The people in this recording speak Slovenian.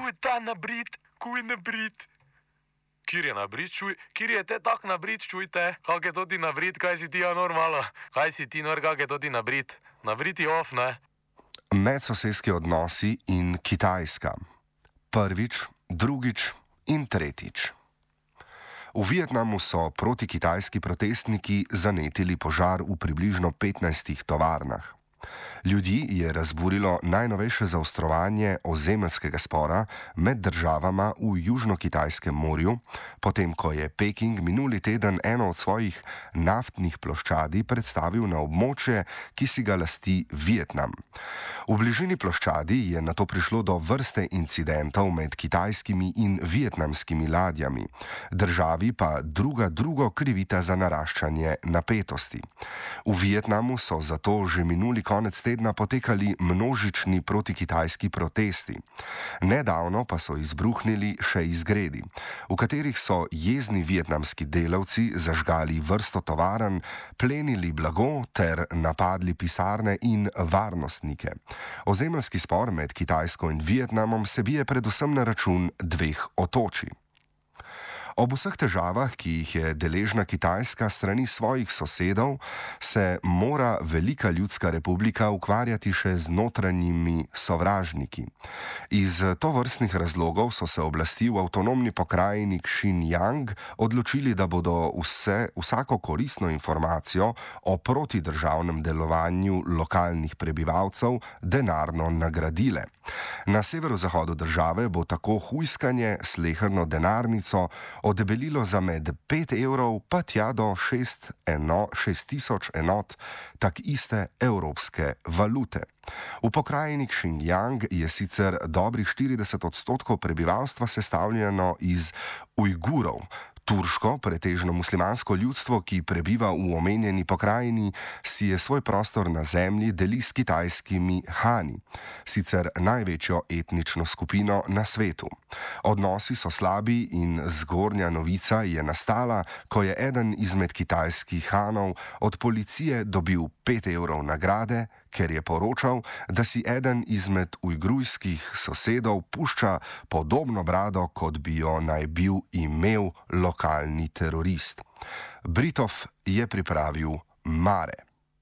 Kuj ta nabrit, kuj nabrit. Kjer je nabrit, čuj? Kjer je te tak nabrit, čujte? Kak je to ti nabrit, kaj si ti normalno? Kaj si ti kak je to ti nabrit? Nabrit je off, ne? Medsosedski odnosi in Kitajska. Prvič, drugič in tretjič. V Vietnamu so protikitajski protestniki zanetili požar v približno 15 tovarnah. Ljudi je razburilo najnovejše zaostrovanje ozemeljskega spora med državama v Južno-Kitajskem morju, potem ko je Peking minuli teden eno od svojih naftnih ploščadi predstavil na območje, ki si ga lasti Vietnam. V bližini ploščadi je nato prišlo do vrste incidentov med kitajskimi in vietnamskimi ladjami. Državi pa drugo krivita za naraščanje napetosti. V Vietnamu so zato že minuli konec tedna potekali množični protikitajski protesti. Nedavno pa so izbruhnili še izgredi, v katerih so jezni vietnamski delavci zažgali vrsto tovarn, plenili blago ter napadli pisarne in varnostnike. Ozemeljski spor med Kitajsko in Vietnamom se bije predvsem na račun dveh otočij. Ob vseh težavah, ki jih je deležna Kitajska strani svojih sosedov, se mora Velika ljudska republika ukvarjati še z notranjimi sovražniki. Iz tovrstnih razlogov so se oblasti v avtonomni pokrajini Xinjiang odločili, da bodo vsako koristno informacijo o protidržavnem delovanju lokalnih prebivalcev denarno nagradile. Na severozahodu države bo tako hujskanje sleherno denarnico odebelilo za med 5 evrov pa tja do 6,000 enot tak iste evropske valute. V pokrajini Xinjiang je sicer dobrih 40% prebivalstva sestavljeno iz Ujgurov. Turško, pretežno muslimansko ljudstvo, ki prebiva v omenjeni pokrajini, si je svoj prostor na zemlji deli s kitajskimi Hani, sicer največjo etnično skupino na svetu. Odnosi so slabi in zgornja novica je nastala, ko je eden izmed kitajskih Hanov od policije dobil 5 evrov nagrade, ker je poročal, da si eden izmed ujgurskih sosedov pušča podobno brado, kot bi jo naj bil imel lokalni terorist. Britov je pripravil Mare.